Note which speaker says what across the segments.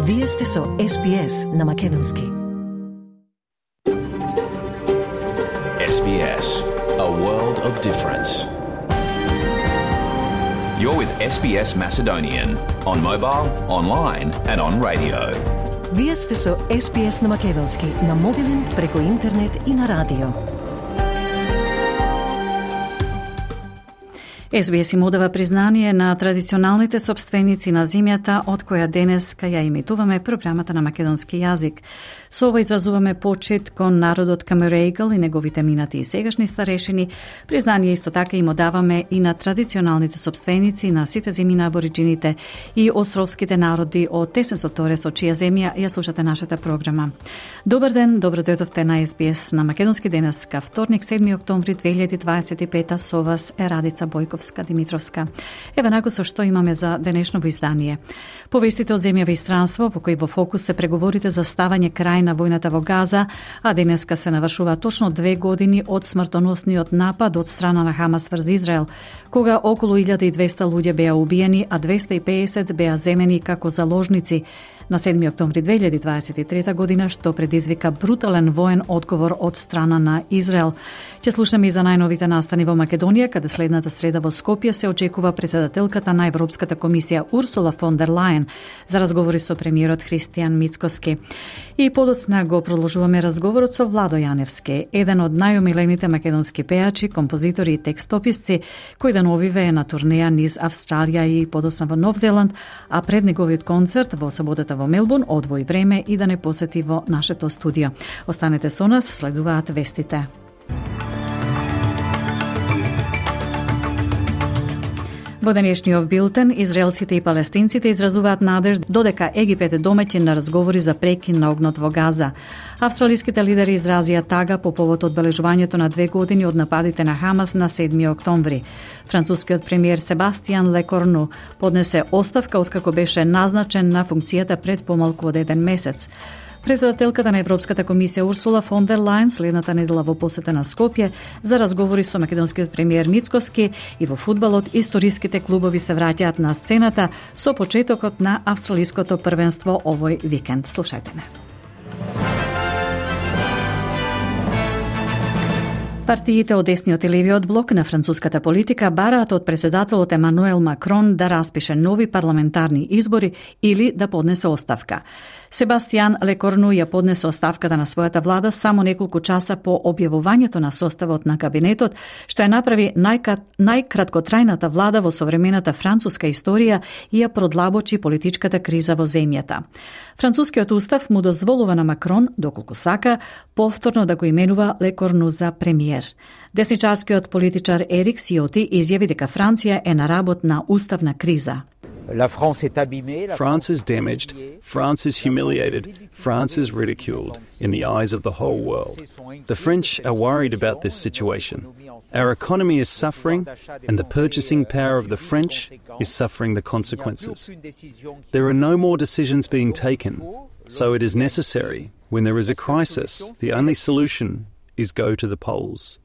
Speaker 1: Вие сте со SBS на Македонски.
Speaker 2: SBS, a world of difference. You're with SBS Macedonian on mobile, online and on radio.
Speaker 1: Вие сте со SBS на Македонски на мобилен, преку интернет и на радио.
Speaker 3: SBS им одава признание на традиционалните собственици на земјата, од која денеска ја имитуваме програмата на македонски јазик. Со ова изразуваме почит кон народот Камерегал и неговите минати и сегашни старешини. Признание исто така им одаваме и на традиционалните собственици на сите земји на абориджините и островските народи од Тесенсот Торес, од чија земја ја слушате нашата програма. Добар ден, добро дојдовте на SBS на македонски денеска, вторник 7 октомври 2025, со вас е Радица Бојковска-Димитровска. Еве нако со што имаме за денешново издание. Повестите од земја и странство, во кои во фокус се преговорите за ставање крај на војната во Газа, а денеска се навршува точно 2 години од смртоносниот напад од страна на Хамас врз Израел, кога околу 1200 луѓе беа убиени, а 250 беа земени како заложници на 7 октомври 2023 година, што предизвика брутален воен одговор од страна на Израел. Ќе слушаме и за најновите настани во Македонија, каде следната среда во Скопје се очекува председателката на Европската комисија Урсула фон дер Лајен за разговори со премиерот Христијан Мицкоски. И подоцна го продолжуваме разговорот со Владо Јаневски, еден од најомилените македонски пеачи, композитори и текстописци, кој деновиве е на турнеја низ Австралија и подоцна во Нов Зеланд, а пред неговиот концерт во саботата во Мелбурн одвои време и да не посети во нашето студио. Останете со нас, следуваат вестите. Во денешниот билтен, израелците и палестинците изразуваат надеж додека Египет е домаќин на разговори за прекин на огнот во Газа. Австралиските лидери изразија тага по повод одбележувањето на 2 години од нападите на Хамас на 7 октомври. Францускиот премиер Себастијан Лекорну поднесе оставка откако беше назначен на функцијата пред помалку од 1 месец. Председателката на Европската комисија Урсула фон дер Лајен следната недела во посета на Скопје за разговори со македонскиот премиер Мицкоски, и во фудбалот историските клубови се враќаат на сцената со почетокот на австралиското првенство овој викенд. Слушајте не. Партиите од десниот и левиот блок на француската политика бараат од председателот Емануел Макрон да распише нови парламентарни избори или да поднесе оставка. Себастијан Лекорну ја поднесе оставката на својата влада само неколку часа по објавувањето на составот на кабинетот, што ја направи најкраткотрајната влада во современата француска историја и ја продлабочи политичката криза во земјата. Францускиот устав му дозволува на Макрон, доколку сака, повторно да го именува Лекорну за премиер. Десничарскиот политичар Ерик Сиоти изјави дека Франција е на работ на уставна криза.
Speaker 4: France is damaged, France is humiliated, France is ridiculed in the eyes of the whole world. The French are worried about this situation. Our economy is suffering, and the purchasing power of the French is suffering the consequences. There are no more decisions being taken, so it is necessary, when there is a crisis, the only solution is go to the polls.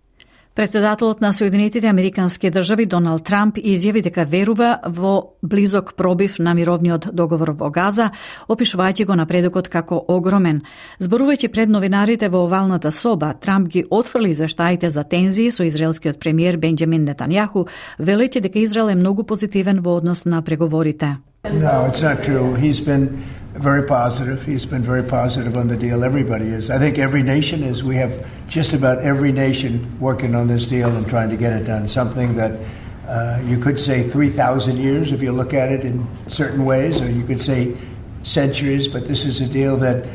Speaker 3: Председателот на Соединетите Американски држави Доналд Трамп изјави дека верува во близок пробив на мировниот договор во Газа, опишувајќи го напредокот како огромен. Зборувајќи пред новинарите во овалната соба, Трамп ги отфрли извештаите за тензии со израелскиот премиер Бенџамин Нетањаху, велејќи дека Израел е многу позитивен во однос на преговорите.
Speaker 5: No, it's not true. He's been very positive. He's been very positive on the deal. Everybody is. I think every nation is. We have just about every nation working on this deal and trying to get it done. Something that you could say 3,000 years if you look at it in certain ways, or you could say centuries, but this is a deal that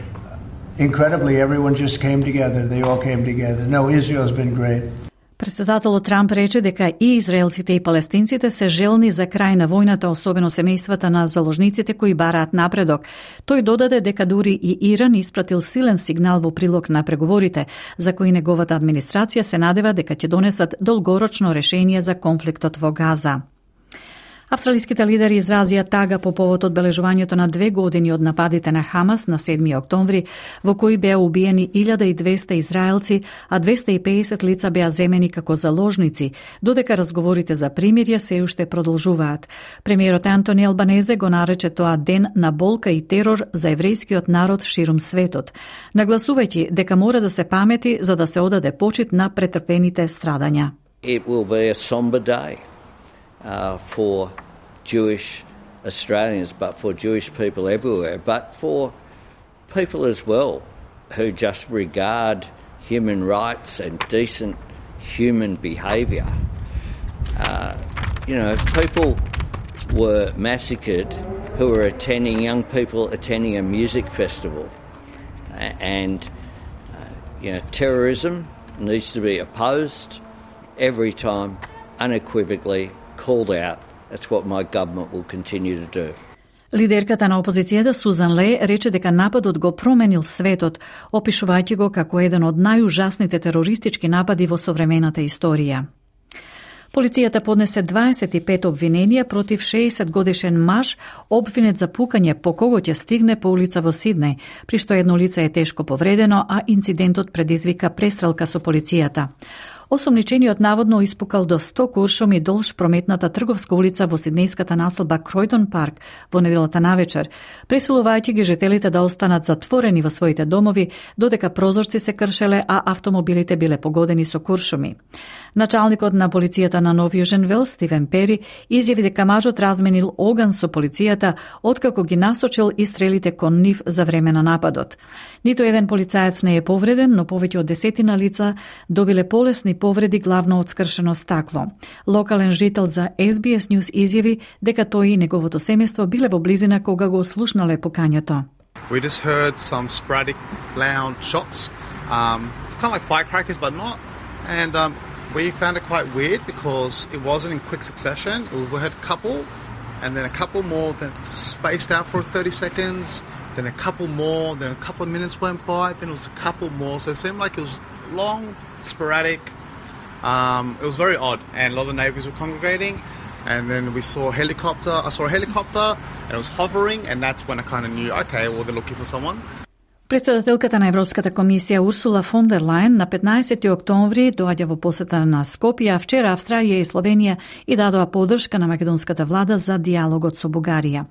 Speaker 5: incredibly everyone just came together. They all came together. No, Israel's been great.
Speaker 3: Председателот Трамп рече дека и израелците и палестинците се желни за крај на војната, особено семејствата на заложниците кои бараат напредок. Тој додаде дека дури и Иран испратил силен сигнал во прилог на преговорите, за кои неговата администрација се надева дека ќе донесат долгорочно решение за конфликтот во Газа. Австралиските лидери изразија тага по повод одбележувањето на 2 години од нападите на Хамас на 7 октомври, во кои беа убиени 1200 израелци, а 250 лица беа земени како заложници, додека разговорите за примирје се уште продолжуваат. Премиерот Антони Албанезе го нарече тоа ден на болка и терор за еврејскиот народ ширум светот, нагласувајќи дека мора да се памети за да се одаде почит на претрпените страдања.
Speaker 6: It will be a somber day. For Jewish Australians, but for Jewish people everywhere, but for people as well who just regard human rights and decent human behaviour. People were massacred who were young people attending a music festival. And terrorism needs to be opposed every time, unequivocally called out. That's what my government will continue to do.
Speaker 3: Лидерката на опозицијата Сузан Ле рече дека нападот го променил светот, опишувајќи го како еден од најужасните терористички напади во современата историја. Полицијата поднесе 25 обвиненија против 60-годишен маж, обвинет за пукање по кого ќе стигне по улица во Сиднеј, при што едно лице е тешко повредено, а инцидентот предизвика престрелка со полицијата. Осомничениот наводно испукал до 100 куршуми долж прометната трговска улица во сиднејската населба Кројдон парк во неделата навечер, пресилувајќи ги жителите да останат затворени во своите домови, додека прозорци се кршеле, а автомобилите биле погодени со куршуми. Началникот на полицијата на Нов Јужен Велс, Стивен Пери, изјави дека мажот разменил оган со полицијата откако ги насочил и стрелите кон нив за време на нападот. Ниту еден полицаец не е повреден, но повеќе од 10 лица добиле полесни повреди, главно од скршено стакло. Локален жител за SBS News изјави дека тој и неговото семејство биле во близина кога го слушнале пукањето.
Speaker 7: We just heard some sporadic loud shots, kind of like firecrackers but not, and we found it quite weird because it wasn't in quick succession. We heard a couple, and then a couple more, then spaced out for 30 seconds, then a couple more, then a couple of minutes went by, then it was a couple more, so it seemed like it was long, sporadic. It was very odd, and a lot of the neighbours were congregating, and then I saw a helicopter, and it was hovering, and that's when I kind of knew, okay, well, they're looking for someone.
Speaker 3: Председателката на Европската комисија Урсула фон дер Лајен на 15 октомври доаѓа во посета на Скопје, а вчера Австралија и Словенија и дадоа поддршка на македонската влада за диалогот со Бугарија.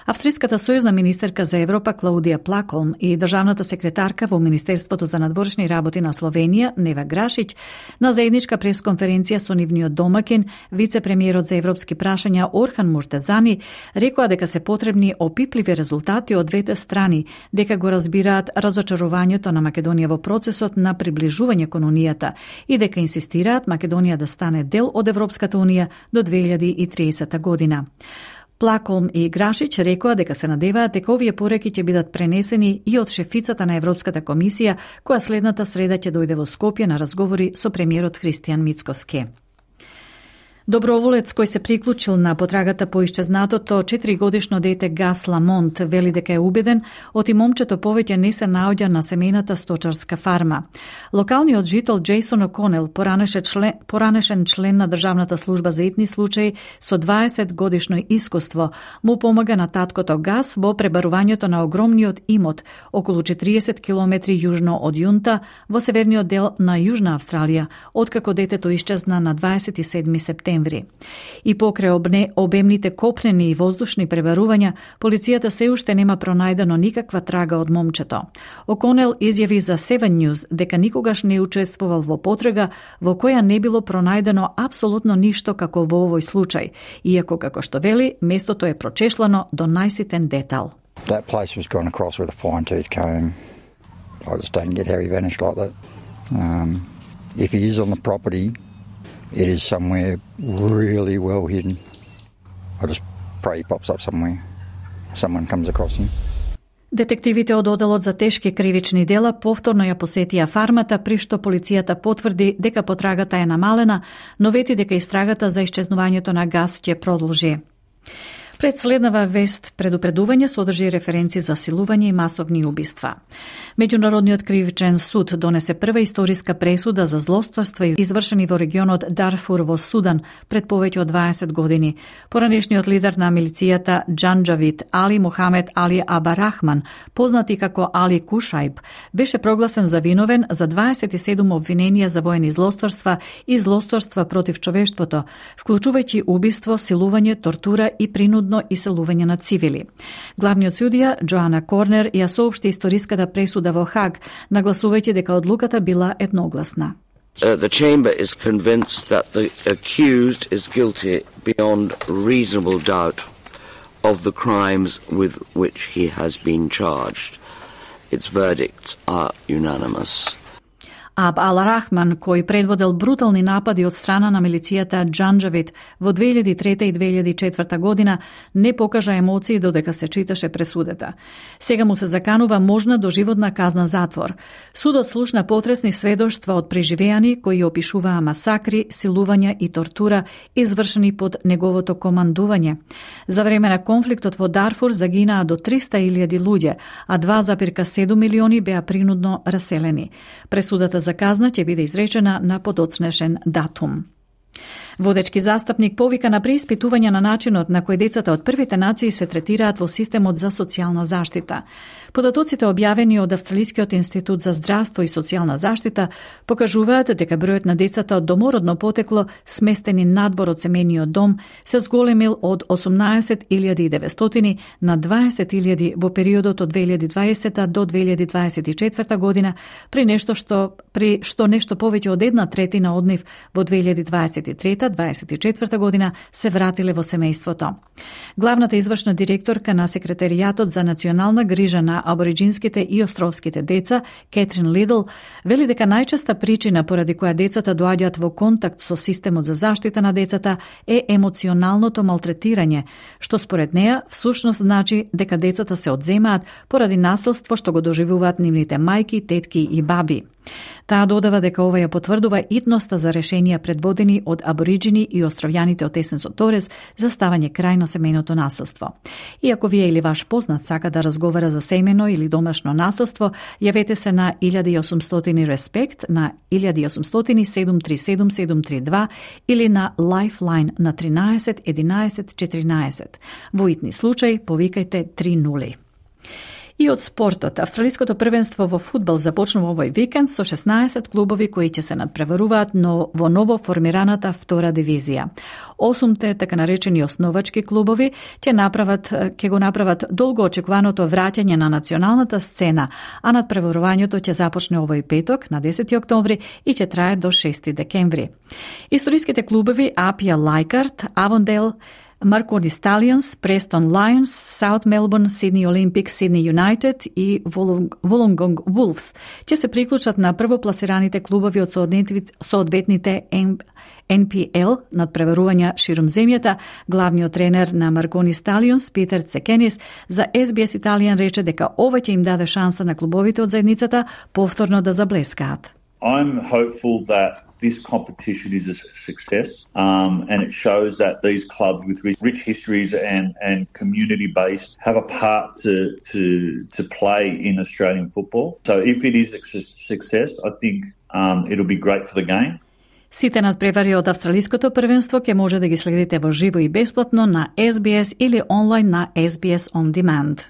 Speaker 3: Австриската сојузна министерка за Европа Клаудија Плаколм и државната секретарка во Министерството за надворешни работи на Словенија Нева Грашиќ на заедничка пресконференција со нивниот домакин, вице-премиерот за европски прашања Орхан Муртезани, рекоа дека се потребни опипливи резултати од двете страни, дека го разбираат разочарувањето на Македонија во процесот на приближување кон Унијата и дека инсистираат Македонија да стане дел од Европската Унија до 2030 година. Плаколм и Грашиќ рекоа дека се надеваат дека овие пореки ќе бидат пренесени и од шефицата на Европската комисија, која следната среда ќе дојде во Скопје на разговори со премиерот Христијан Мицкоски. Доброволец кој се приклучил на потрагата по исчезнатото 4-годишно дете Гас Ламонт вели дека е убеден оти момчето повеќе не се наоѓа на семејната сточарска фарма. Локалниот жител Джейсон О'Конел, поранешен член на Државната служба за итни случаи со 20 годишно искуство, му помага на таткото Гас во пребарувањето на огромниот имот околу 40 километри јужно од Јунта во северниот дел на Јужна Австралија, откако детето исчезна на 27 септември. И покрај обемните копнени и воздушни пребарувања, полицијата се уште нема пронајдено никаква трага од момчето. О'Конел изјави за Seven News дека никогаш не учествувал во потрага во која не било пронајдено апсолутно ништо како во овој случај, иако како што вели, местото е прочешлано до најситен детал.
Speaker 8: That place was gone across with a fine-tooth comb. I just don't get how he vanished like that. If he is on the property, it is somewhere really well hidden. I just pray he pops up somewhere. Someone comes across him.
Speaker 3: Детективите од Оделот за тешки кривични дела повторно ја посетија фармата, при што полицијата потврди дека потрагата е намалена, но вети дека истрагата за исчезнувањето на Гас ќе продолжи. Пред следнава вест предупредување содржи референци за силување и масовни убиства. Меѓународниот кривичен суд донесе прва историска пресуда за злосторства извршени во регионот Дарфур во Судан пред повеќе од 20 години. Поранешниот лидер на милицијата Џанџавид Али Мохамед Али Абарахман, познат и како Али Кушајб, беше прогласен за виновен за 27 обвиненија за воени злосторства и злосторства против човештвото, вклучувајќи убиство, силување, тортура и принудно иселување на цивили. Главниот судија Джоана Корнер ја соопшти историската пресуда во Хаг, нагласувајќи дека одлуката била едногласна.
Speaker 9: The chamber is convinced that the accused is guilty beyond reasonable doubt of the crimes with which he has been charged. Its verdicts are unanimous.
Speaker 3: Аб Ал-Рахман, кој предводел брутални напади од страна на милицијата Џанџавид во 2003 и 2004 година, не покажа емоции додека се читаше пресудата. Сега му се заканува можна доживотна казна затвор. Судот слушна потресни сведоштва од преживеани кои опишуваа масакри, силувања и тортура извршени под неговото командување. За време на конфликтот во Дарфур загинаа до 300.000 луѓе, а 2,7 милиони беа принудно раселени. Пресудата за казна ќе биде изречена на подоцнешен датум. Водечки застапник повика на преиспитување на начинот на кој децата од првите нации се третираат во системот за социјална заштита. Податоците објавени од Австралискиот институт за здравство и социјална заштита покажуваат дека бројот на децата од домородно потекло сместени надвор од семејниот дом се зголемил од 18.900 на 20.000 во периодот од 2020 до 2024 година, при што нешто повеќе од 1/3 од нив во 2023-2024 година се вратиле во семејството. Главната извршна директорка на Секретаријатот за национална грижа на абориджинските и островските деца, Кетрин Лидл, вели дека најчеста причина поради која децата доаѓаат во контакт со системот за заштита на децата е емоционалното малтретирање, што според неа всушност значи дека децата се одземаат поради насилство што го доживуваат нивните мајки, тетки и баби. Таа додава дека ова ја потврдува итноста за решенија предводени од абориджини и островјаните од Есенсо Торес за ставање крај на семејното насилство. И ако вие или ваш познат сака да разговара за семејно или домашно насилство, јавете се на 1800 Респект, на 1800 737 732 или на Lifeline на 13 11 14. Во итни случај повикајте 30. И од спортот, австралиското првенство во фудбал започнува овој викенд со 16 клубови кои ќе се надпреваруваат во ново формираната втора дивизија. 8 така наречени основачки клубови ќе го направат долго очекуваното враќање на националната сцена, а надпреварувањето ќе започне овој петок на 10 октомври и ќе трае до 6 декември. Историските клубови Апија Лајкарт, Авондейл, Маркони Сталијанс, Престон Лајонс, Саут Мелбурн, Сидни Олимпик, Сидни Юнајтед и Волонгонг Вулфс ќе се приклучат на првопласираните клубови од соодветните NPL надпреварувања ширум земјата. Главниот тренер на Маркони Сталијонс, Питер Цекенис, за SBS Италијан рече дека ова ќе им даде шанса на клубовите од заедницата повторно да заблескаат.
Speaker 10: I'm hopeful that this competition is a success, and it shows that these clubs with rich histories and community-based have a part to play in Australian football. So if it is a success, I think it'll be great for the game.
Speaker 3: Сите надпревари од австралиското првенство ќе може да ги следите во живо и бесплатно на SBS или онлайн на SBS On Demand.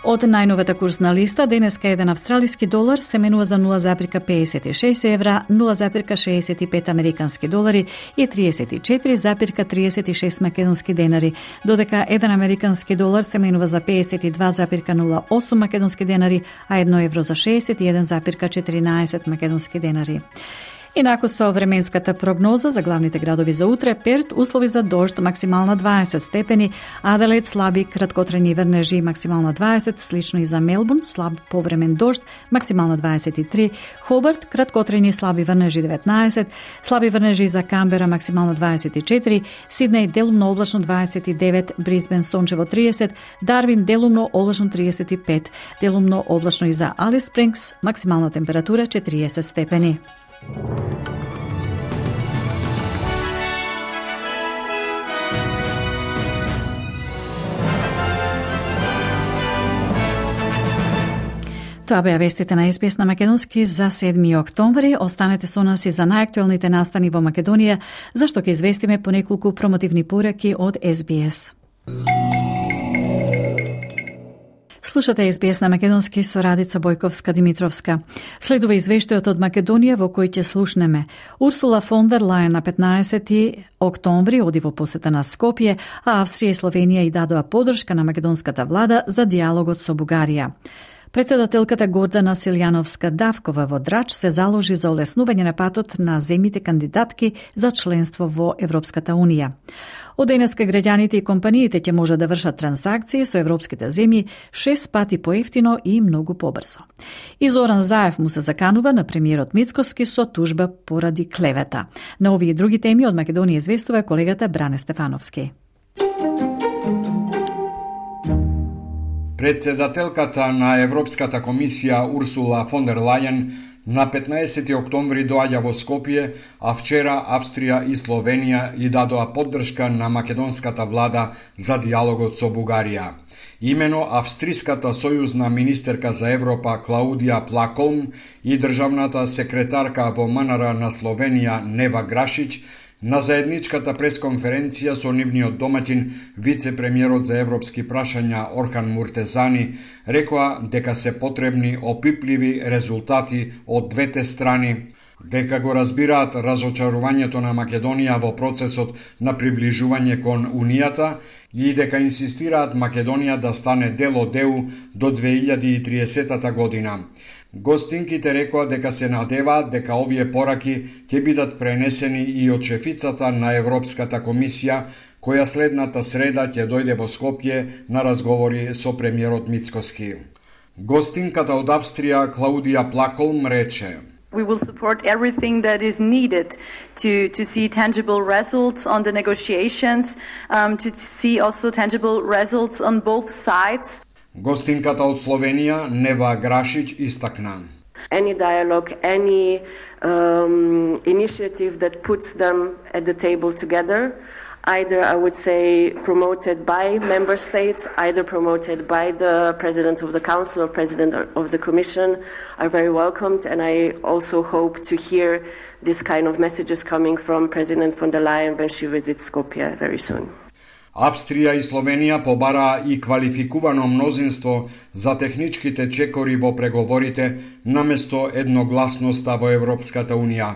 Speaker 3: Од најновата курсна листа, денеска еден австралиски долар се менува за 0,56 евра, 0,65 американски долари и 34,36 македонски денари, додека еден американски долар се менува за 52,08 македонски денари, а 1 евро за 61,14 македонски денари. Инаку со временската прогноза за главните градови за утре: Перт услови за дожд, максимална 20 степени, Аделаид слаби краткотрajни врнежи, максимална 20, слично и за Мелбурн, слаб повремен дожд, максимална 23, Хобарт краткотрajни слаби врнежи 19, слаби врнежи за Камбера, максимална 24, Сиднеј делумно облачно 29, Брисбен сончево 30, Дарвин делумно облачно 35, делумно облачно и за Алис Спрингс, максимална температура 40 степени. Тоа беа вестите на СПС на македонски за 7 октомври. Останете со нас и за најактуелните настани во Македонија, зашто ќе известиме по неколку промотивни пораки од СБС. Слушате СБС на македонски со Радица Бојковска-Димитровска. Следува извештајот од Македонија во кој ќе слушнеме. Урсула фон дер Лајен на 15 октомври оди во посета на Скопје, а Австрија и Словенија и дадоа поддршка на македонската влада за диалогот со Бугарија. Председателката Гордана Силјановска-Давкова во Драч се заложи за олеснување на патот на земјите кандидатки за членство во Европската Унија. Од денеска граѓаните и компаниите ќе можат да вршат трансакции со европските земји 6 пати поевтино и многу побрзо. И Зоран Заев му се заканува на премиерот Мицкоски со тужба поради клевета. На овие и други теми од Македонија известува колегата Бране Стефановски.
Speaker 11: Председателката на Европската комисија Урсула фон дер Лајен на 15 октомври доаѓа во Скопје, а вчера Австрија и Словенија и дадоа поддршка на македонската влада за диалогот со Бугарија. Имено австриската сојузна министерка за Европа Клаудија Плаколм и државната секретарка во МНР на Словенија Нева Грашич на заедничката пресконференција со нивниот домаќин, вице-премиерот за европски прашања Орхан Муртезани, рекоа дека се потребни опипливи резултати од двете страни, дека го разбираат разочарувањето на Македонија во процесот на приближување кон Унијата и дека инсистираат Македонија да стане дел од ЕУ до 2030 година. Гостинките рекоа дека се надеваат дека овие пораки ќе бидат пренесени и од шефицата на Европската комисија, која следната среда ќе дојде во Скопје на разговори со премиерот Мицкоски. Гостинката од Австрија Клаудија Плаколм рече:
Speaker 12: We will support everything that is needed to see tangible results on the negotiations, to see also tangible results on both sides.
Speaker 11: Гостинката од Словенија Нева Грашич истакна:
Speaker 13: Any dialogue, any initiative that puts them at the table together, either I would say promoted by member states, either promoted by the President of the Council or President of the Commission, are very welcomed, and I also hope to hear this kind of messages coming from President von der Leyen when she visits Skopje very soon.
Speaker 11: Австрија и Словенија побараа и квалификувано мнозинство за техничките чекори во преговорите наместо едногласноста во Европската Унија.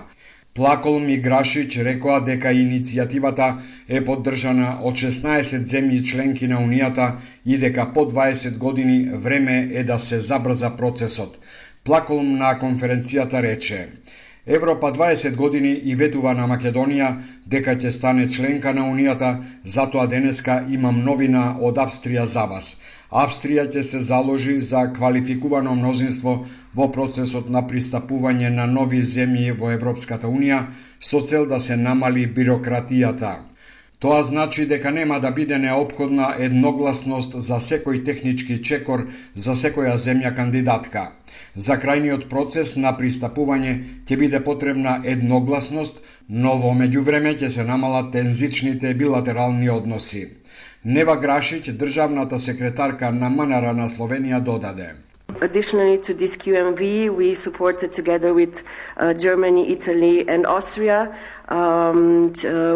Speaker 11: Плаколм и Грашич рекоа дека иницијативата е поддржана од 16 земји членки на Унијата и дека по 20 години време е да се забрза процесот. Плаколм на конференцијата рече: Европа 20 години и ветува на Македонија дека ќе стане членка на Унијата, затоа денеска имам новина од Австрија за вас. Австрија ќе се заложи за квалификувано мнозинство во процесот на пристапување на нови земји во Европската Унија со цел да се намали бирократијата. Тоа значи дека нема да биде неопходна едногласност за секој технички чекор за секоја земја кандидатка. За крајниот процес на пристапување ќе биде потребна едногласност, но во меѓувреме ќе се намалат тензичните билатерални односи. Нева Грашич, државната секретарка на МНР на Словенија, додаде:
Speaker 13: Additionally to this QMV, we supported together with Germany, Italy and Austria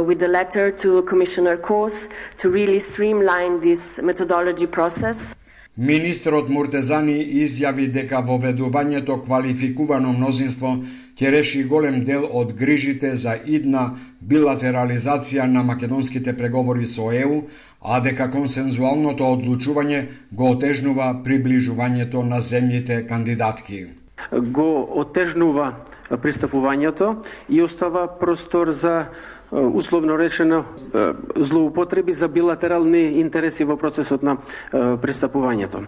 Speaker 13: with the letter to Commissioner Kos to really streamline this methodology process.
Speaker 11: Министерот Муртезани изјави дека воведувањето квалификувано мнозинство ќе реши голем дел од грижите за идна билатерализација на македонските преговори со ЕУ, а дека консензуалното одлучување го отежнува приближувањето на земјите кандидатки.
Speaker 14: Го отежнува пристапувањето и остава простор за условно речено злоупотреби за билатерални интереси во процесот на пристапувањето.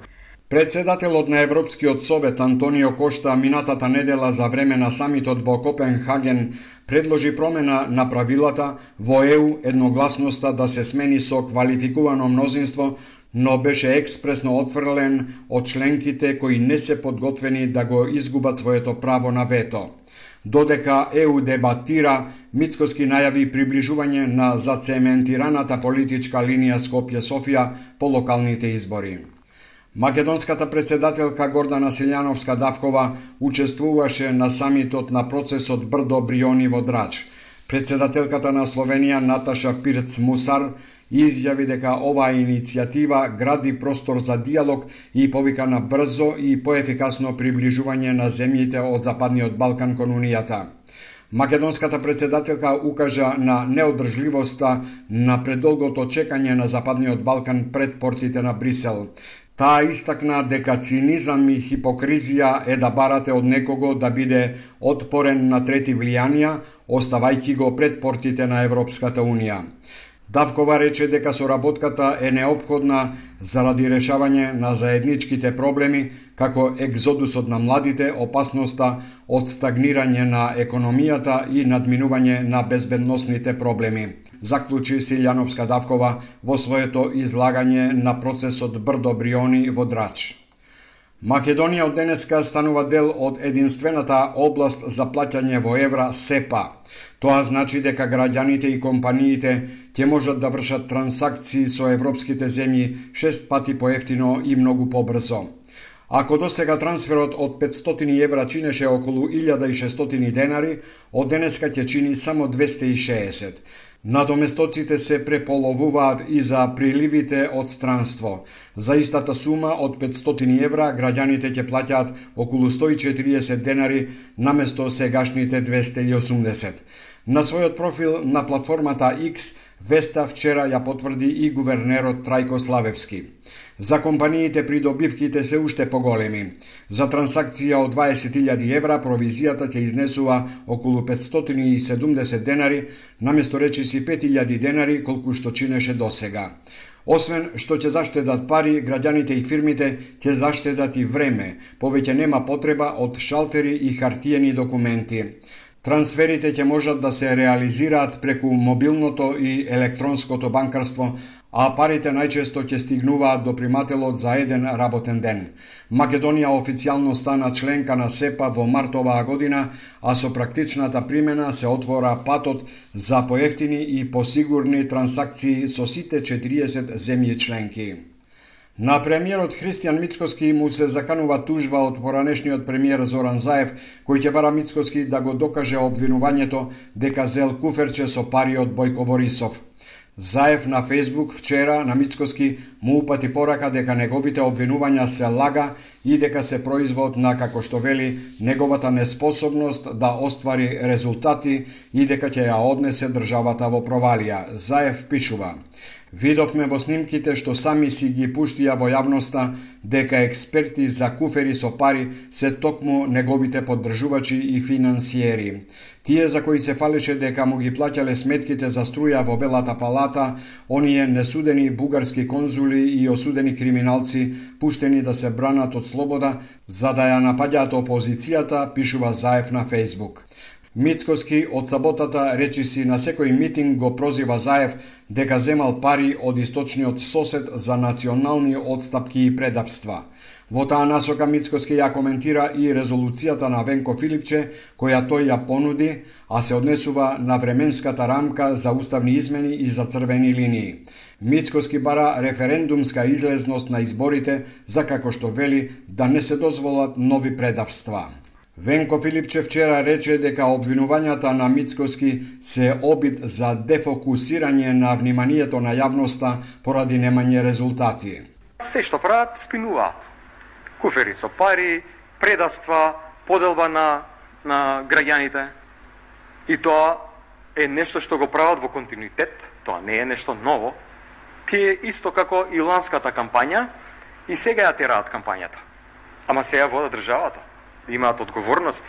Speaker 11: Председателот на Европскиот совет Антонио Кошта минатата недела за време на самитот во Копенхаген предложи промена на правилата во ЕУ, едногласноста да се смени со квалификувано мнозинство, но беше експресно отфрлен од членките кои не се подготвени да го изгубат своето право на вето. Додека ЕУ дебатира, Мицкоски најави приближување на зацементираната политичка линија Скопје-Софија по локалните избори. Македонската председателка Гордана Силјановска-Давкова учествуваше на самитот на процесот Брдо Бриони во Драч. Председателката на Словенија Наташа Пирц-Мусар изјави дека оваа иницијатива гради простор за диалог и повика на брзо и поефикасно приближување на земјите од Западниот Балкан кон Унијата. Македонската председателка укажа на неодржливоста на предолгото чекање на Западниот Балкан пред портите на Брисел. Таа истакна дека цинизам и хипокризија е да барате од некого да биде отпорен на трети влијанија, оставајќи го пред портите на Европската Унија. Давкова рече дека соработката е неопходна заради решавање на заедничките проблеми, како екзодусот на младите, опасноста од стагнирање на економијата и надминување на безбедносните проблеми. Заклучи Силјановска-Давкова во своето излагање на процесот Брдо Бриони во Драч. Македонија од денеска станува дел од единствената област за плаќање во евра СЕПА. Тоа значи дека граѓаните и компаниите ќе можат да вршат трансакции со европските земји 6 пати поевтино и многу побрзо. Ако досега трансферот од 500 евра чинеше околу 1600 денари, од денеска ќе чини само 260. Надоместоците се преполовуваат и за приливите од странство. За истата сума од 500 евра граѓаните ќе плаќаат околу 140 денари наместо сегашните 280. На својот профил на платформата X веста вчера ја потврди и гувернерот Трајко Славевски. За компаниите придобивките се уште поголеми. За трансакција од 20.000 евра провизијата ќе изнесува околу 570 денари, наместо речиси 5.000 денари колку што чинеше досега. Освен што ќе заштедат пари, граѓаните и фирмите ќе заштедат и време, повеќе нема потреба од шалтери и хартиени документи. Трансферите ќе можат да се реализираат преку мобилното и електронското банкарство, а парите најчесто ќе стигнуваат до примателот за еден работен ден. Македонија официјално стана членка на СЕПА во март оваа година, а со практичната примена се отвора патот за поевтини и посигурни трансакции со сите 40 земји членки. На премиерот Христијан Мицкоски му се заканува тужба од поранешниот премиер Зоран Заев, кој ќе бара Мицкоски да го докаже обвинувањето дека зел куферче со пари од Бојко Борисов. Заев на Фейсбук вчера на Мицкоски му упати порака дека неговите обвинувања се лага и дека се производ на, како што вели, неговата неспособност да оствари резултати и дека ќе ја однесе државата во провалија. Заев пишува: Видовме во снимките што сами си ги пуштија во јавноста дека експерти за куфери со пари се токму неговите поддржувачи и финансиери. Тие за кои се фалеше дека му ги плаќале сметките за струја во Белата палата, оние несудени бугарски конзули и осудени криминалци, пуштени да се бранат од слобода, за да ја напаѓаат опозицијата, пишува Заев на Фейсбук. Мицкоски од саботата речиси на секој митинг го прозива Заев дека земал пари од источниот сосед за национални отстапки и предавства. Во таа насока Мицкоски ја коментира и резолуцијата на Венко Филипче, која тој ја понуди, а се однесува на временската рамка за уставни измени и за црвени линии. Мицкоски бара референдумска излезност на изборите, за како што вели да не се дозволат нови предавства. Венко Филипче вчера рече дека обвинувањата на Мицкоски се обид за дефокусирање на вниманието на јавноста поради немање резултати.
Speaker 15: Се што прават, спинуваат. Куфери со пари, предавства, поделба на граѓаните. И тоа е нешто што го прават во континуитет, тоа не е нешто ново. Тие исто како и ланската кампања и сега ја тераат кампањата. Ама сега водат државата. Имаат одговорности,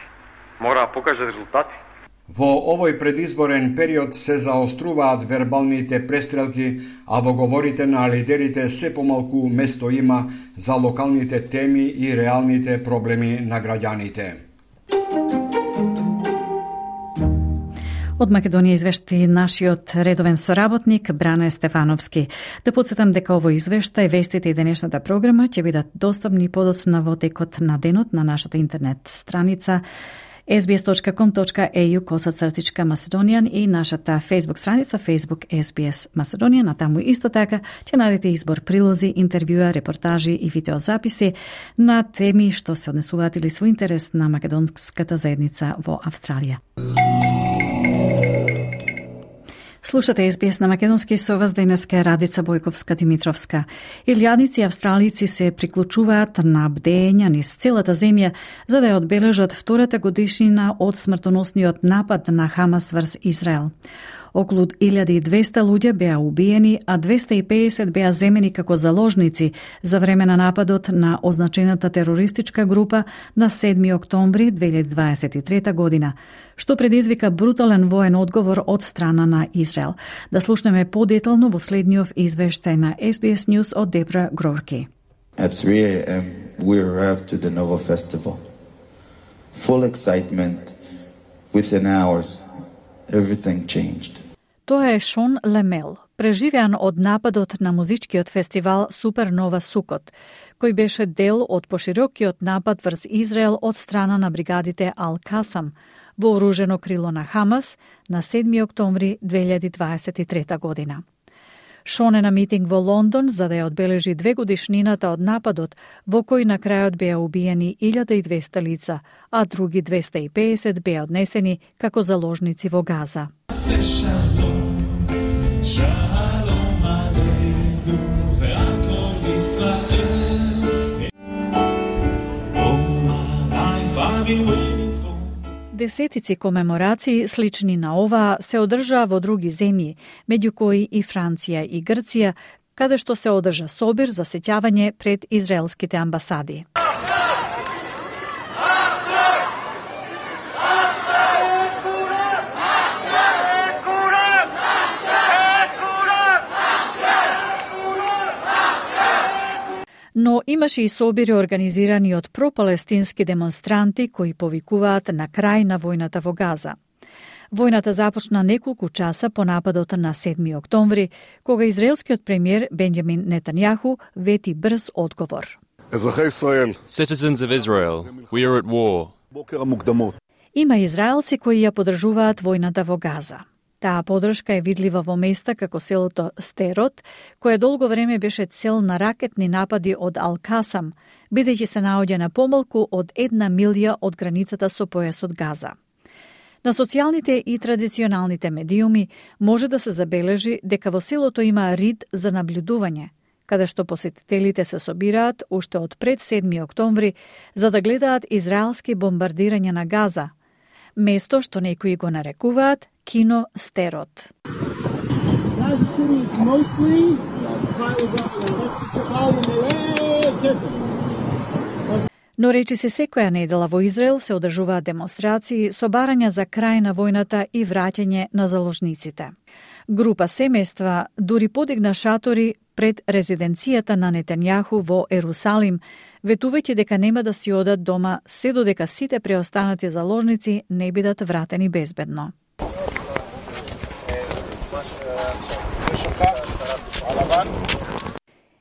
Speaker 15: мора да покажат резултати.
Speaker 11: Во овој предизборен период се заоструваат вербалните престрелки, а во говорите на лидерите се помалку место има за локалните теми и реалните проблеми на граѓаните.
Speaker 3: Од Македонија извешти нашиот редовен соработник Бране Стефановски. Да подсетам дека овој извештај, вестите и денешната програма ќе бидат достапни подоцна во текот на денот на нашата интернет страница sbs.com.au/Macedonian и нашата Facebook страница Facebook SBS Macedonian, а таму исто така ќе најдете избор прилози, интервјуа, репортажи и видеозаписи на теми што се однесуваат или со интерес на македонската заедница во Австралија. Слушате SBS на македонски, со вас денеска е Радица Бојковска-Димитровска. Илјадници австралици се приклучуваат на бдења низ целата земја за да ја одбележат втората годишнина од смртоносниот напад на Хамас врз Израел. Околу 1200 луѓе беа убиени, а 250 беа земени како заложници за време на нападот на означената терористичка група на 7 октомври 2023 година, што предизвика брутален воен одговор од страна на Израел. Да слушнеме подетално во следниот извештај на SBS News од Дебра Грорки.
Speaker 16: At 3 a.m. we arrived to the Nova Festival. Full excitement. Within hours, everything changed.
Speaker 3: Тоа е Шон Лемел, преживеан од нападот на музичкиот фестивал Супернова Сукот, кој беше дел од поширокиот напад врз Израел од страна на бригадите Ал-Касам, вооружено крило на Хамас, на 7 октомври 2023 година. Шон е на митинг во Лондон за да ја одбележи 2 годишнината од нападот, во кој на крајот беа убиени 1200 лица, а други 250 беа однесени како заложници во Газа. Десетици комеморации слични на оваа се одржаа во други земји, меѓу кои и Франција и Грција, каде што се одржа собир за сеќавање пред израелските амбасади. Но имаше и собири организирани од пропалестински демонстранти кои повикуваат на крај на војната во Газа. Војната започна неколку часа по нападот на 7 октомври, кога израелскиот премиер Бенјамин Нетањаху вети брз одговор.
Speaker 17: Citizens of Israel, we are at war.
Speaker 3: Има израелци кои ја поддржуваат војната во Газа. Таа поддршка е видлива во места како селото Стерот, кое долго време беше цел на ракетни напади од Ал-Касам, бидејќи се наоѓа на помалку од 1 милја од границата со појасот Газа. На социјалните и традиционалните медиуми може да се забележи дека во селото има рид за наблюдување, каде што посетителите се собираат уште од пред 7 октомври за да гледаат израелски бомбардирање на Газа, место што некои го нарекуваат Кино Стерот. Но речиси секоја недела во Израел се одржуваат демонстрации со барања за крај на војната и враќање на заложниците. Група семејства дури подигна шатори пред резиденцијата на Нетањаху во Ерусалим, ветувајќи дека нема да си одат дома се додека сите преостанати заложници не бидат вратени безбедно.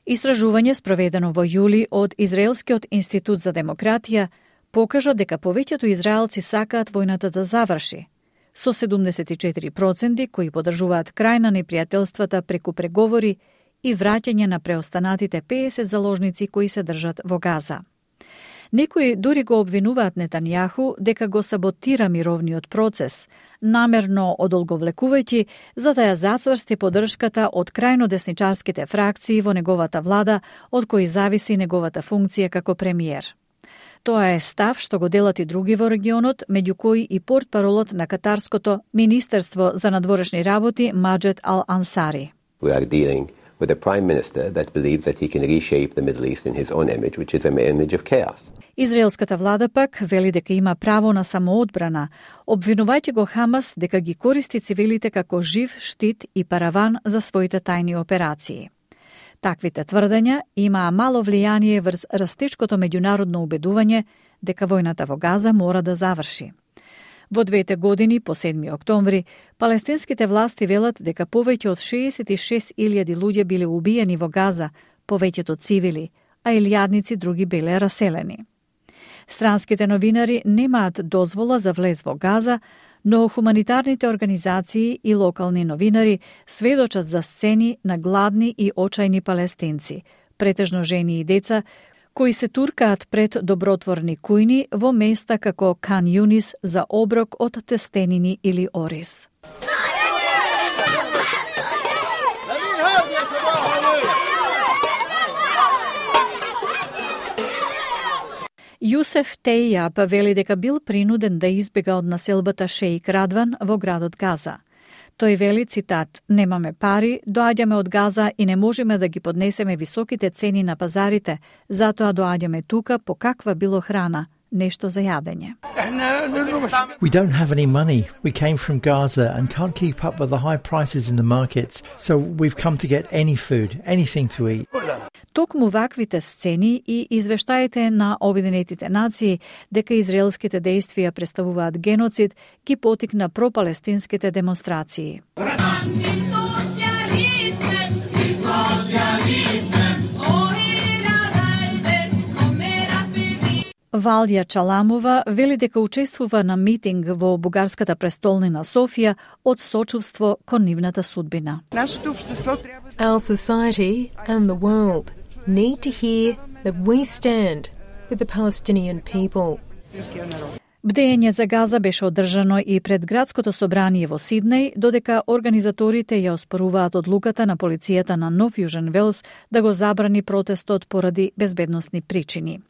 Speaker 3: Истражување спроведено во јули од Израелскиот институт за демократија покажа дека повеќето израелци сакаат војната да заврши, со 74% кои поддржуваат крај на непријателствата преку преговори и враќање на преостанатите 50 заложници кои се држат во Газа. Некои дури го обвинуваат Нетањаху дека го саботира мировниот процес, намерно одолговлекувајќи за да ја зацврсти поддршката од крајно десничарските фракции во неговата влада, од кои зависи неговата функција како премиер. Тоа е став што го делат и други во регионот, меѓу кои и портпаролот на Катарското Министерство за надворешни работи Маџед Ал-Ансари.
Speaker 18: We are dealing with a prime minister that believes that he can reshape the Middle East in his own image, which is an image of chaos.
Speaker 3: Израелската влада пак вели дека има право на самоодбрана, обвинувајќи го Хамас дека ги користи цивилите како жив штит и параван за своите тајни операции. Таквите тврдења имаа мало влијание врз растечкото меѓународно убедување дека војната во Газа мора да заврши. Во 2 години, по 7 октомври, палестинските власти велат дека повеќе од 66.000 луѓе биле убиени во Газа, повеќето цивили, а илјадници други биле раселени. Странските новинари немаат дозвола за влез во Газа, но хуманитарните организации и локални новинари сведочат за сцени на гладни и очајни палестинци, претежно жени и деца, кои се туркаат пред добротворни кујни во места како Кан Юнис за оброк од тестенини или ориз. Јусеф Тејјаб вели дека бил принуден да избега од населбата Шејк Радван во градот Газа. Тој вели, цитат, "Немаме пари, доаѓаме од Газа и не можеме да ги поднесеме високите цени на пазарите, затоа доаѓаме тука по каква било храна, нешто за јадење."
Speaker 19: We don't have any money. We came from Gaza and can't keep up with the high prices in the markets, so we've come to get any food, anything to eat.
Speaker 3: Токму ваквите сцени и извештаите на Обединетите нации дека израелските дејствија представуваат геноцид ги потикна пропалестинските демонстрации. Валдија Чаламова вели дека учествува на митинг во бугарската престолнина Софија од сочувство кон нивната судбина.
Speaker 20: Our society and the world need to hear that we stand with the Palestinian people.
Speaker 3: Бдење за Газа беше одржано и пред градското собрание во Сиднеј, додека организаторите ја оспоруваат одлуката на полицијата на Нов Јужен Велс да го забрани протестот поради безбедносни причини.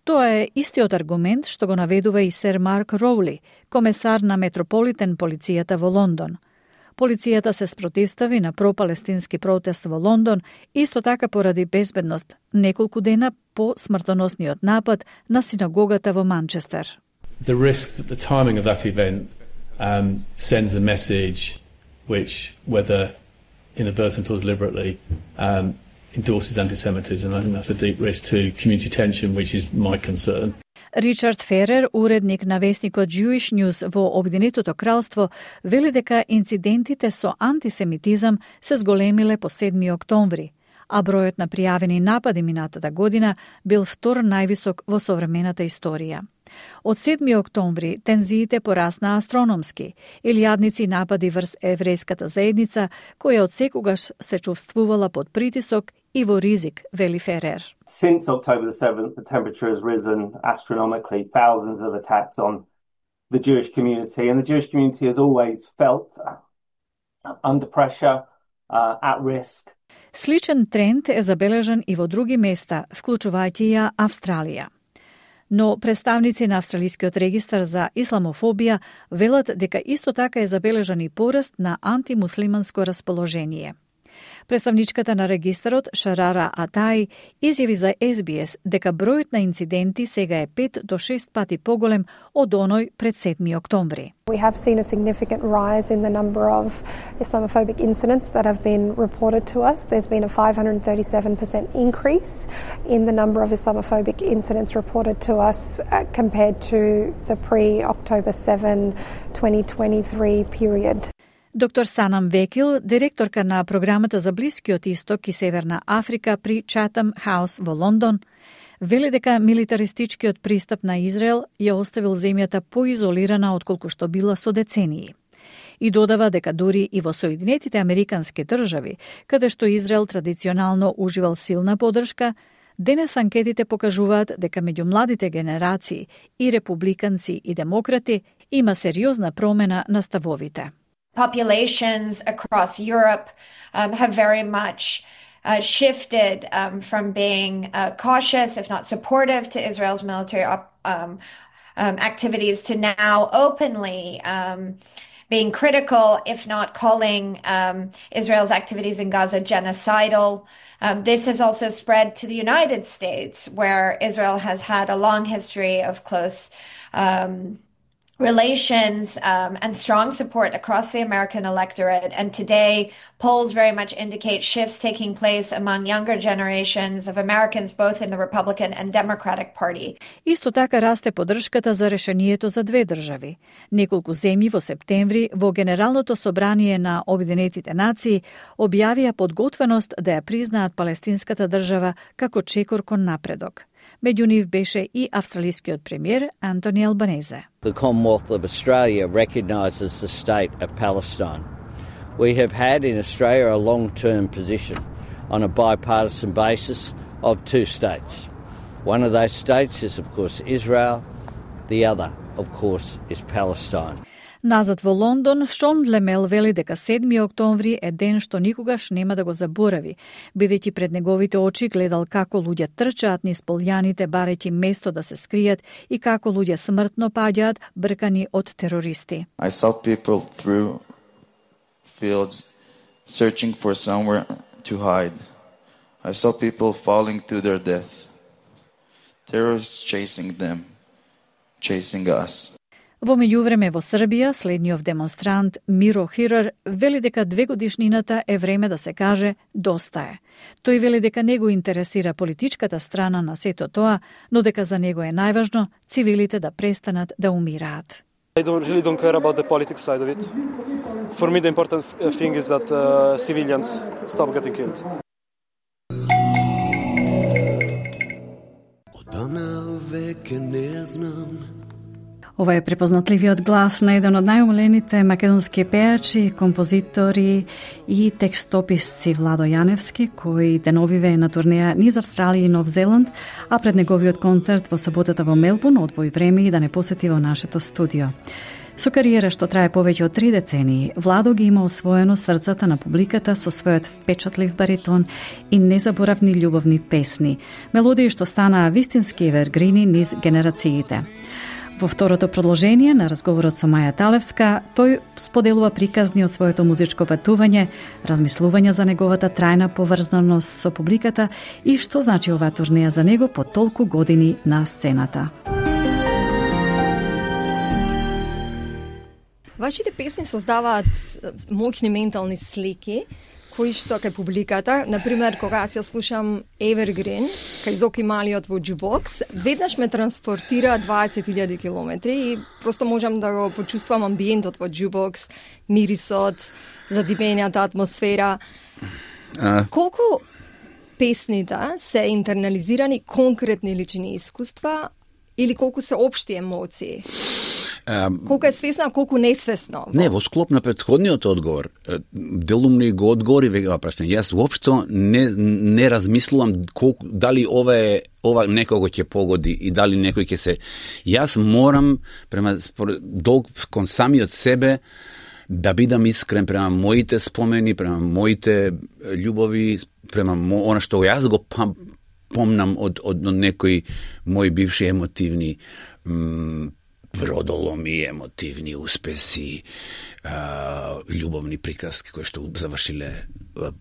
Speaker 3: Тоа е истиот аргумент што го наведува и сер Марк Роули, комесар на Метрополитен полицијата во Лондон. Полицијата се спротивстави на пропалестински протест во Лондон, исто така поради безбедност, неколку дена по смртоносниот напад на синагогата во Манчестер.
Speaker 21: The risk that the timing of that event sends a message which, whether inadvertent or deliberately, endorses anti-Semitism. I think that's a deep risk to community tension, which is my concern.
Speaker 3: Ричард Ферер, уредник на весникот Jewish News во Обединетото кралство, вели дека инцидентите со антисемитизам се зголемиле по 7 октомври, а бројот на пријавени напади минатата година бил втор највисок во современата историја. Од 7 октомври тензиите порасна астрономски, илјадници напади врз еврејската заедница, која од секогаш се чувствувала под притисок и во ризик, вели Ферер.
Speaker 22: Since October the 7th, the temperature has risen astronomically, thousands of attacks on the Jewish community, and the Jewish community has always felt under pressure, at risk.
Speaker 3: Сличен тренд е забележан и во други места, вклучувајќи ја Австралија. Но представници на Австралискиот регистар за исламофобија велат дека исто така е забележан и пораст на антимуслиманско расположение. Представничката на регистарот Шарара Атаи изјави за SBS дека бројот на инциденти сега е 5 до 6 пати поголем од оној пред 7 октомври.
Speaker 23: We have seen a significant rise in the number of Islamophobic incidents that have been reported to us. There's been a 537% increase in the number of Islamophobic incidents reported to us compared to the pre-October 7, 2023 period.
Speaker 3: Доктор Санам Векил, директорка на програмата за Блискиот Исток и Северна Африка при Chatham House во Лондон, вели дека милитаристичкиот пристап на Израел ја оставил земјата поизолирана отколку што била со децении. И додава дека дури и во Соединетите Американски држави, каде што Израел традиционално уживал силна поддршка, денес анкетите покажуваат дека меѓу младите генерации и републиканци и демократи има сериозна промена на ставовите.
Speaker 24: Populations across Europe have very much shifted from being cautious, if not supportive, to Israel's military activities to now openly being critical, if not calling Israel's activities in Gaza genocidal. This has also spread to the United States, where Israel has had a long history of close relations and strong support across the American electorate. And today, polls very much indicate shifts taking place among younger generations of Americans, both in the Republican and Democratic Party.
Speaker 3: Исто така расте поддршката за решението за две држави. Неколку земји во септември во Генералното собрание на Обединетите нации објавија подготвеност да ја признаат палестинската држава како чекор кон напредок. Меѓу нив беше и австралискиот премиер Антони Албанезе.
Speaker 6: The Commonwealth of Australia recognises the state of Palestine. We have had in Australia a long-term position on a bipartisan basis of two states. One of those states is, of course, Israel. The other, of course, is Palestine.
Speaker 3: Назад во Лондон, Шон Лемел вели дека 7 октомври е ден што никогаш нема да го заборави, бидејќи пред неговите очи гледал како луѓе трчаат низ полјаните барејќи место да се скријат и како луѓе смртно паѓаат бркани од терористи.
Speaker 16: I saw people through fields searching for somewhere to hide. I saw people falling to their death. Terrorists chasing them, chasing us.
Speaker 3: Во меѓувреме во Србија, следниот демонстрант Миро Хирар вели дека 2 годишнината е време да се каже доста е. Тој вели дека не го интересира политичката страна на сето тоа, но дека за него е најважно цивилите да престанат да умираат.
Speaker 1: I really don't care about the politics side of it. For me the important thing is that civilians stop getting killed.
Speaker 2: Одамна веќе не знам.
Speaker 3: Ова е препознатливиот глас на еден од најомилените македонски пејачи, композитори и текстописци Владо Јаневски, кој деновиве е на турнеја низ Австралија и Нов Зеланд, а пред неговиот концерт во саботата во Мелбурн одвои време и да не посети во нашето студио. Со кариера што трае повеќе од 3 децении, Владо ги има освоено срцата на публиката со својот впечатлив баритон и незаборавни љубовни песни, мелодии што станаа вистински евергрини низ генерациите. Во второто продолжение на разговорот со Маја Талевска, тој споделува приказни од своето музичко патување, размислувања за неговата трајна поврзаност со публиката и што значи оваа турнеја за него по толку години на сцената.
Speaker 4: Вашите песни создаваат моќни ментални слики, кои што кај публиката, например, кога аз ја слушам Evergreen, кај Зоки Малиот во Jukebox, веднаш ме транспортира 20.000 километри и просто можам да го почувствувам амбиентот во Jukebox, мирисот, задимењата атмосфера. Колку песните се интернализирани конкретни лични искуства или колку се општи емоции? Колку е свесно, а колку несвесно?
Speaker 5: Не, во склоп на претходниот одговор, делумно го одговори веќе прашање. Јас воопшто не размислувам дали ова некого ќе погоди и дали некој ќе се. Јас морам према долг кон самиот себе да бидам искрен према моите спомени, према моите љубови, према она што јас го помнам од некои мои бивши емотивни бродоломи, емотивни успеси, љубовни приказки кои што завршиле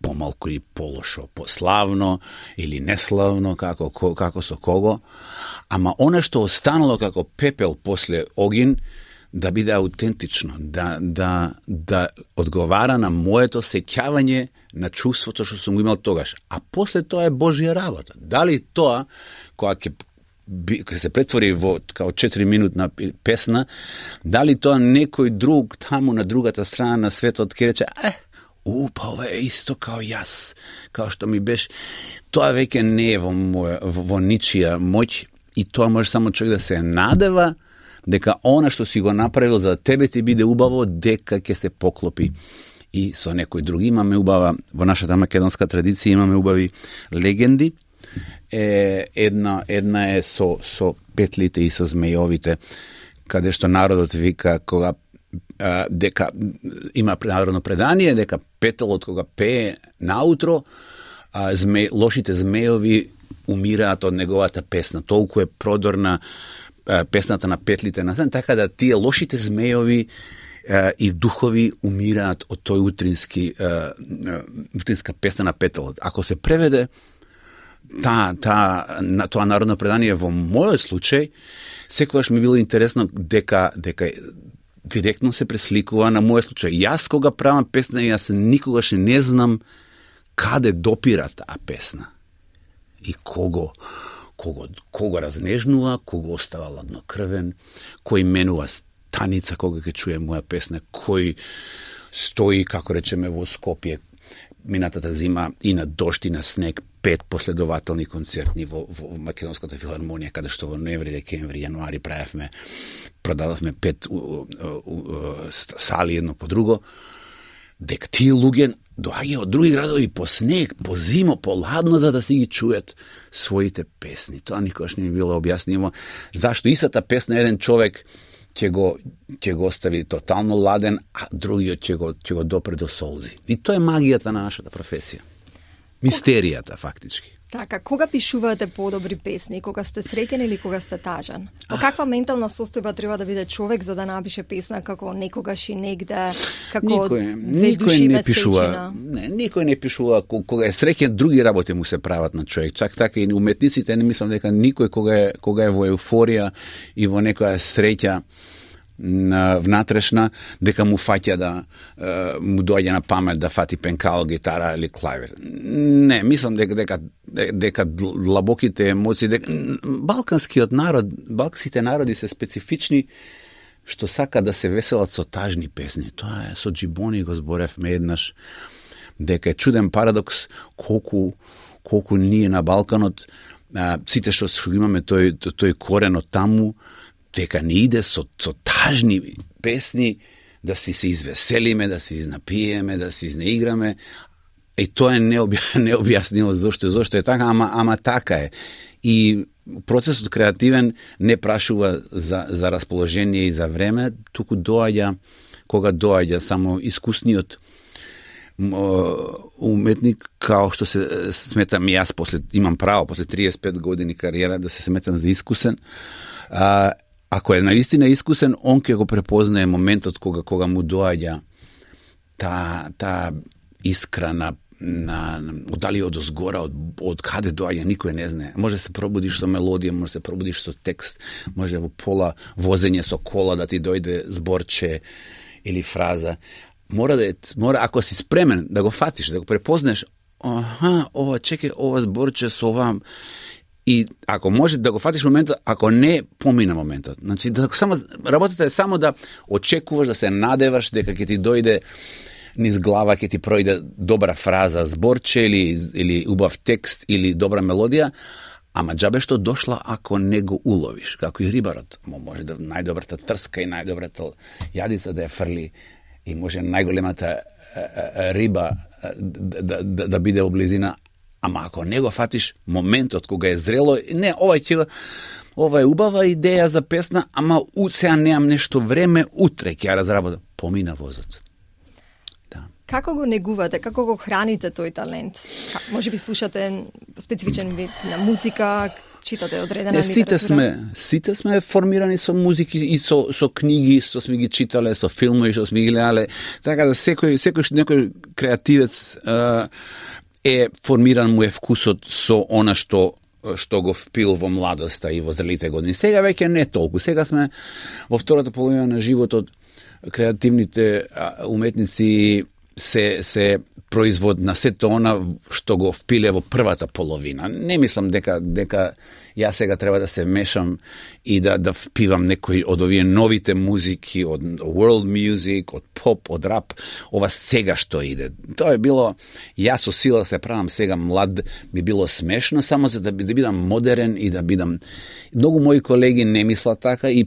Speaker 5: помалку и полошо, пославно или неславно, како со кого. Ама она што останало како пепел после огин, да биде аутентично, да одговара на моето сеќавање на чувството што сум го имал тогаш. А после тоа е Божја работа. Дали тоа, кога ќе се претвори во као 4-минутна песна, дали тоа некој друг таму на другата страна на светот ќе рече, па ова е исто као јас, као што ми беше. Тоа веќе не е во ничија моќ и тоа може само човек да се надева дека она што си го направил за тебе ти биде убаво, дека ќе се поклопи и со некој друг. Имаме убава, во нашата македонска традиција имаме убави легенди. Една е со петлите и со змејовите, каде што народот вика кога дека има народно предание дека петелот кога пее наутро, лошите змејови умираат од неговата песна. Толку е продорна песната на петлите на сен, така да тие лошите змејови и духови умираат од тој утринска песна на петелот. Ако се преведе тоа народно предание во мојот случај, секогаш ми било интересно дека директно се пресликува на мојот случај. Јас кога правам песна, јас никогаш не знам каде допира таа песна и кого разнежнува, кого остава ладнокрвен, кој менува станица кога ќе чуе моја песна, кој стои, како речеме, во Скопје минатата зима и на дожд и на снег 5 последователни концертни во Македонската филармонија, каде што во ноември, декември, јануари продававме 5 сали едно по друго, дека тие луѓе доаѓаат од други градови по снег, по зимо, по ладно, за да си ги чујат своите песни. Тоа никогаш не ми било објаснимо. Зашто истата песна еден човек ќе го остави тотално ладен, а другиот ќе го допре до солзи. И тоа е магијата на нашата професија. Мистеријата, фактички.
Speaker 4: Така, кога пишувате подобри песни? Кога сте среќен или кога сте тажен? По каква ментална состојба треба да биде човек за да напише песна како некогаш и негде, како
Speaker 5: никој не пишува. Никој не пишува кога е среќен, други работи му се прават на човек. Чак така и уметниците, не мислам дека никој кога е во еуфорија и во некоја среќа внатрешна, дека му фаќа да му доаѓа на памет да фати пенкало, гитара или клавир. Не, мислам дека длабоките емоции, балканските народи се специфични што сака да се веселат со тажни песни. Тоа е со Джибони го зборевме еднаш, дека е чуден парадокс колку ние на Балканот сите што имаме тој корен од таму, дека не иде со тажни песни да се извеселиме, да се изнапиеме, да се изнеиграме. И тоа е необјаснимо зошто е така, ама така е. И процесот креативен не прашува за расположение и за време, туку кога доаѓа само искусниот уметник, као што се сметам јас, имам право после 35 години кариера да се сметам за искусен. Ако е наистина искусен, он ќе го препознае моментот кога му доаѓа та искра на дали од озгора, од каде доаѓа, никој не знае. Може се пробудиш со мелодија, може се пробудиш со текст, може во пола возење со кола да ти дојде зборче или фраза. Мора ако си спремен да го фатиш, да го препознаеш, чекај, ова зборче со ова. И ако може да го фатиш моментот, ако не, помина моментот. Значи, работата е само да очекуваш, да се надеваш дека ќе ти дојде низ глава, ќе ти пројде добра фраза, зборче или убав текст или добра мелодија, ама џабе што дошла ако не го уловиш, како и рибарот. Може да најдобрата трска и најдобрата јадица да ја фрли и може најголемата риба да биде облизина. Ама ако не го фатиш моментот кога е зрело, не, ова е убава идеја за песна, ама сега немам нешто време, утре ќе ја разработам. Помина возот. Да.
Speaker 4: Како го негувате, како го храните тој талент? Може би слушате специфичен вид на музика, читате одредена литература?
Speaker 5: Сите сме формирани со музики и со книги, што сме ги читале, со филмови што сме ги гледале, така да некој креативец е формиран му е вкусот со она што го впил во младоста и во зрелите години. Сега веќе не толку. Сега сме во втората половина на животот. Креативните уметници се производ на сето она што го впиле во првата половина. Не мислам дека јас сега треба да се мешам и да впивам некои од овие новите музики, од world music, од поп, од рап, ова сега што иде. Тоа е било, јас со сила се правам сега млад, би било смешно, само за да бидам модерен и да бидам... Многу мои колеги не мислат така и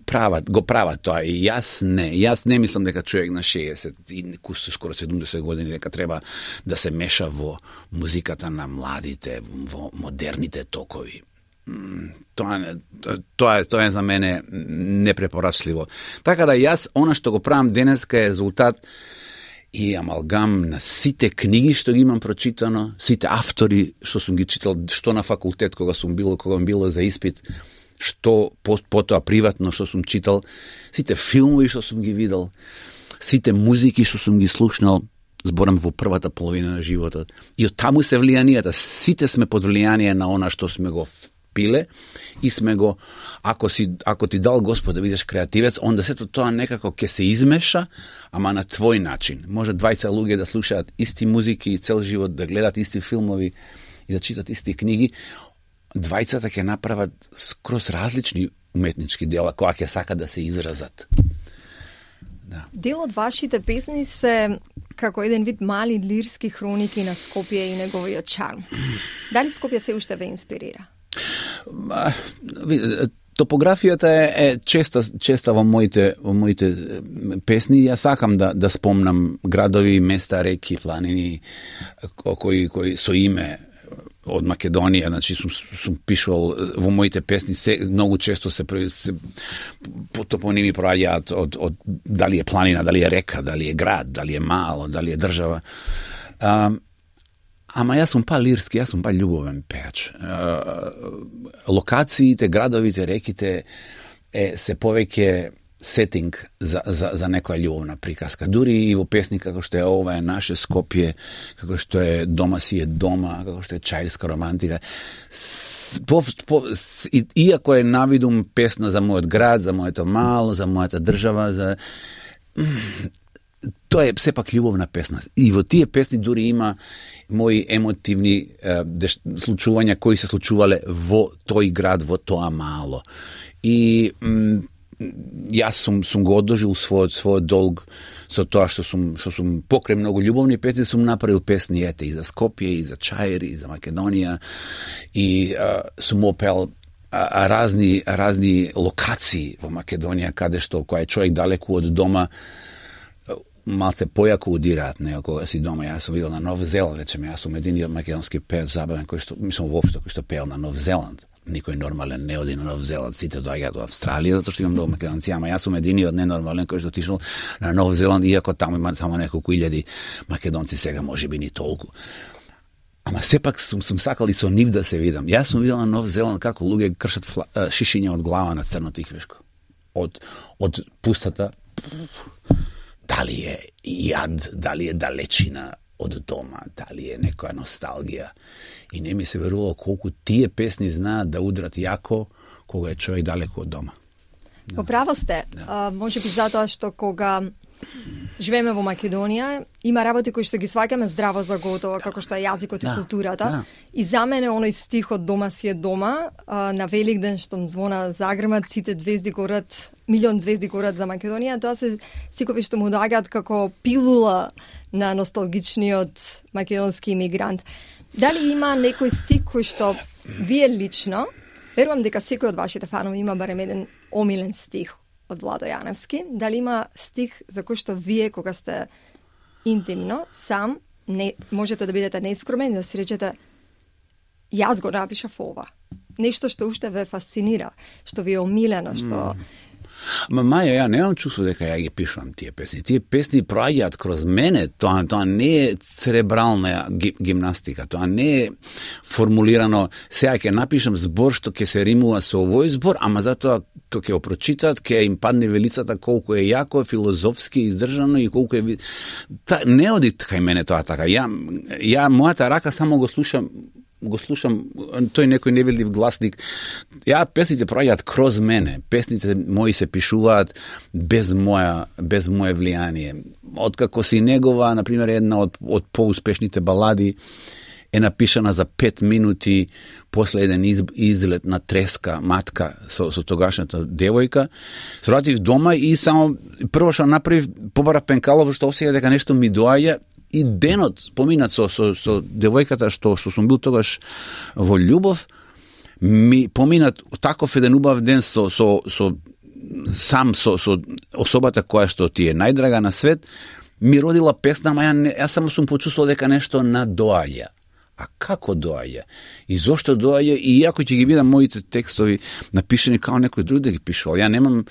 Speaker 5: го прават тоа. И јас не мислам дека човек на 60 и скоро 70 години дека треба да се меша во музиката на младите, во модерните токови. Тоа е за мене непрепорачливо. Така да јас, она што го правам денеска е резултат и амалгам на сите книги што ги имам прочитано, сите автори што сум ги читал, што на факултет кога сум било за испит, што потоа приватно што сум читал, сите филмови што сум ги видел, сите музики што сум ги слушнал, зборам во првата половина на животот. И од таму се влијанијата. Сите сме под влијание на она што сме го впиле и сме го, ако ти дал Господ да бидеш креативец, онда сето тоа некако ќе се измеша, ама на твој начин. Може 20 луѓе да слушаат исти музики цел живот, да гледат исти филмови и да читат исти книги. 20 ќе направат скроз различни уметнички дела кои ќе сакат да се изразат. Да.
Speaker 4: Дел од вашите песни се како еден вид мали лирски хроники на Скопје и неговиот чарм. Дали Скопје се уште ве инспирира?
Speaker 5: Топографијата е честа во моите песни. Јас сакам да спомнам градови, места, реки, планини кои со име од Македонија, значи сум пишувал во моите песни, многу често се топоними проаѓаат од дали е планина, дали е река, дали е град, дали е мало, дали е држава. Ама јас сум лирски, јас сум љубовен пеач. Локациите, градовите, реките се повеќе сетинг за некоја љубовна приказка. Дури и во песни како што е ова е наше Скопје, како што е Дома си е дома, како што е Чаирска романтика. Иако е навидум песна за мојот град, за моето мало, за мојата држава, тоа е сепак љубовна песна. И во тие песни дури има мои емотивни случувања кои се случувале во тој град, во тоа мало. И јас сум го одложил својот долг со тоа што сум покрај многу љубовни песни, сум направил песни и за Скопје, и за Чаир, и за Македонија, и сум опел разни локации во Македонија, каде што кој е човек далеку од дома, малце појако удираат него кога си дома. Јас сум видел на Нов Зеланд, речеме, јас сум единиот македонски пеец забавен кој што воопшто кој што пеел на Нов Зеланд. Никој нормален не оди на Нов Зеланд, сите доаѓаат во Австралија, затоа што имам многу македонци, ама јас сум единиот ненормален кој што отишол на Нов Зеланд, иако таму има само неколку илјади македонци, сега можеби ни толку. Ама сепак сум сакал и со нив да се видам. Јас сум видел на Нов Зеланд како луѓе кршат шишиња од глава на црно тиквешко. Од пустата, дали е јад, дали е далечина од дома, дали е некоја носталгија. И не ми се верувало колку тие песни знаат да удрат јако кога е човек далеку од дома.
Speaker 4: Поправо сте. Може би затоа што кога живееме во Македонија, има работи кои што ги сваќаме здраво за готово, како што е јазикот и културата. И за мене оној стих од Дома си е дома, на Великден што звона загремат, сите звезди горат, милион звезди горат за Македонија, тоа се сикови што му доаѓаат како пилула на носталгичниот македонски имигрант. Дали има некој стих кој што вие лично, верувам дека секој од вашите фанови има барем еден омилен стих од Владо Јаневски, дали има стих за кој што вие кога сте интимно, сам, можете да бидете нескромен, да си речете јас го напишав ова. Нешто што уште ве фасцинира, што ви е омилено, што...
Speaker 5: Маја, ја немам чувство дека ја ги пишувам тие песни. Тие песни проаѓаат кроз мене, тоа не е церебрална гимнастика, тоа не е формулирано, сега ќе напишам збор што ќе се римува со овој збор, ама затоа кога ќе го прочитат, ќе им падне велицата колку е јако, филозофски издржано и колку е... Не оди кај мене тоа така. Ја мојата рака само го слушам, тој некој невидлив гласник. Песните проаѓаат кроз мене. Песните мои се пишуваат без моје влијание. Откако си негова, например, една од поуспешните балади е напишана за 5 минути после еден излет на треска матка со тогашната девојка. Сратив дома и само прво што направив, побара пенкало, што осеќа дека нешто ми доаѓа. И денот поминат со девојката што сум бил тогаш во љубов, ми поминат таков еден убав ден со особата која што ти е најдрага на свет, ми родила песна, ама јас само сум почувствувал дека нешто надоаѓа. А како доаѓа? И зошто доаѓа? И иако ќе ги видам моите текстови напишани како некој друг да ги пишувал, ја немам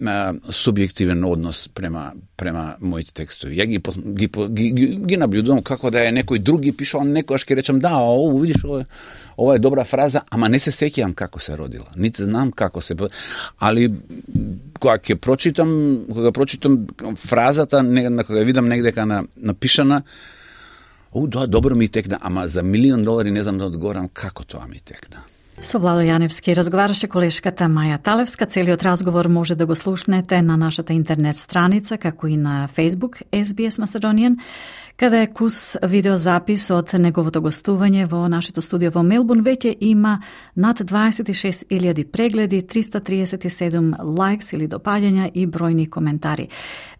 Speaker 5: субјективен однос према моите текстови. Ја ги наблюдувам како да е некој друг ги пишал, некојаш ќе речам да, видиш, ова е добра фраза, ама не се сеќавам како се родила. Нити знам како се... Али кога ќе прочитам фразата, кога видам негдека напишана, да, добро ми текна, ама за $1,000,000 не знам да одговорам како тоа ми текна.
Speaker 3: Со Владо Јаневски разговараше колешката Маја Талевска. Целиот разговор може да го слушнете на нашата интернет страница, како и на Facebook SBS Macedonian. Каде е Кус видеозапис од неговото гостување во нашето студио во Мелбурн веќе има над 26.000 прегледи, 337 лайкс или допаѓања и бројни коментари.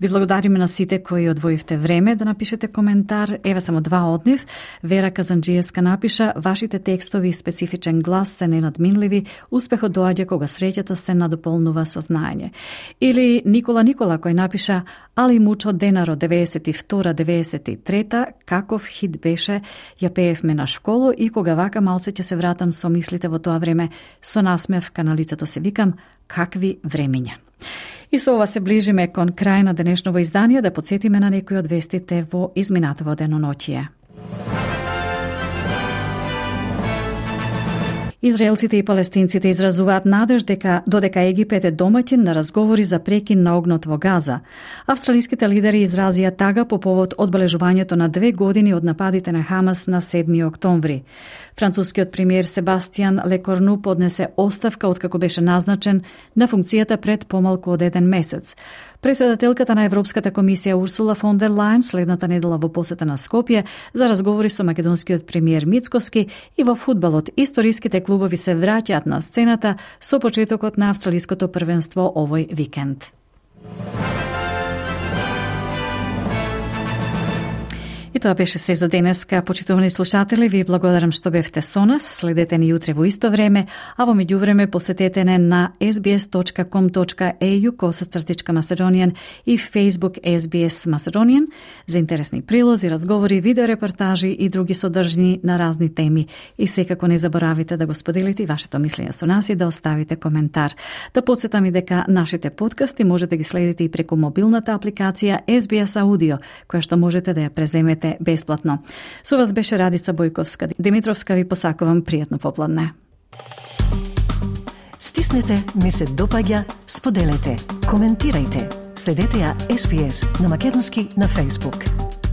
Speaker 3: Ви благодариме на сите кои одвоивте време да напишете коментар. Еве само два од нив. Вера Казанџиевска напиша: вашите текстови и специфичен глас се ненадминливи, успехот доаѓа кога среќата се надополнува со знаење. Или Никола кој напиша: али мучо денаро 92-93, каков хит беше, ја пеевме на школу и кога вака малце ќе се вратам со мислите во тоа време, со насмевка на лицето се викам, какви времиња. И со ова се ближиме кон крај на денешново издание, да подсетиме на некои од вестите во изминатово деноноќие. Израелците и палестинците изразуваат надеж додека Египет е домаќин на разговори за прекин на огнот во Газа. Австралиските лидери изразија тага по повод одбележувањето на 2 години од нападите на Хамас на 7 октомври. Францускиот премиер Себастијан Лекорну поднесе оставка откако беше назначен на функцијата пред помалку од 1 месец. Председателката на Европската комисија Урсула фон дер Лајен следната недела во посета на Скопје за разговори со македонскиот премиер Мицкоски, и во фудбалот историските клубови се враќаат на сцената со почетокот на австралиското првенство овој викенд. И тоа беше се за денеска, почитувани слушатели. Ви благодарам што бевте со нас. Следете ни утре во исто време, а во меѓувреме посетете не на sbs.com.au/Macedonian и Facebook SBS Macedonian за интересни прилози, разговори, видеорепортажи и други содржини на разни теми. И секако не заборавите да го споделите и вашето мислење со нас и да оставите коментар. Да подсетам и дека нашите подкасти можете да ги следите и преку мобилната апликација SBS Audio, која што можете да ја преземете бесплатно. Со вас беше Радица Бојковска Димитровска, ви посакувам пријатно попладне.
Speaker 7: Стиснете, ми се допаѓа, споделете, коментирајте. Следете ја SBS на македонски на Facebook.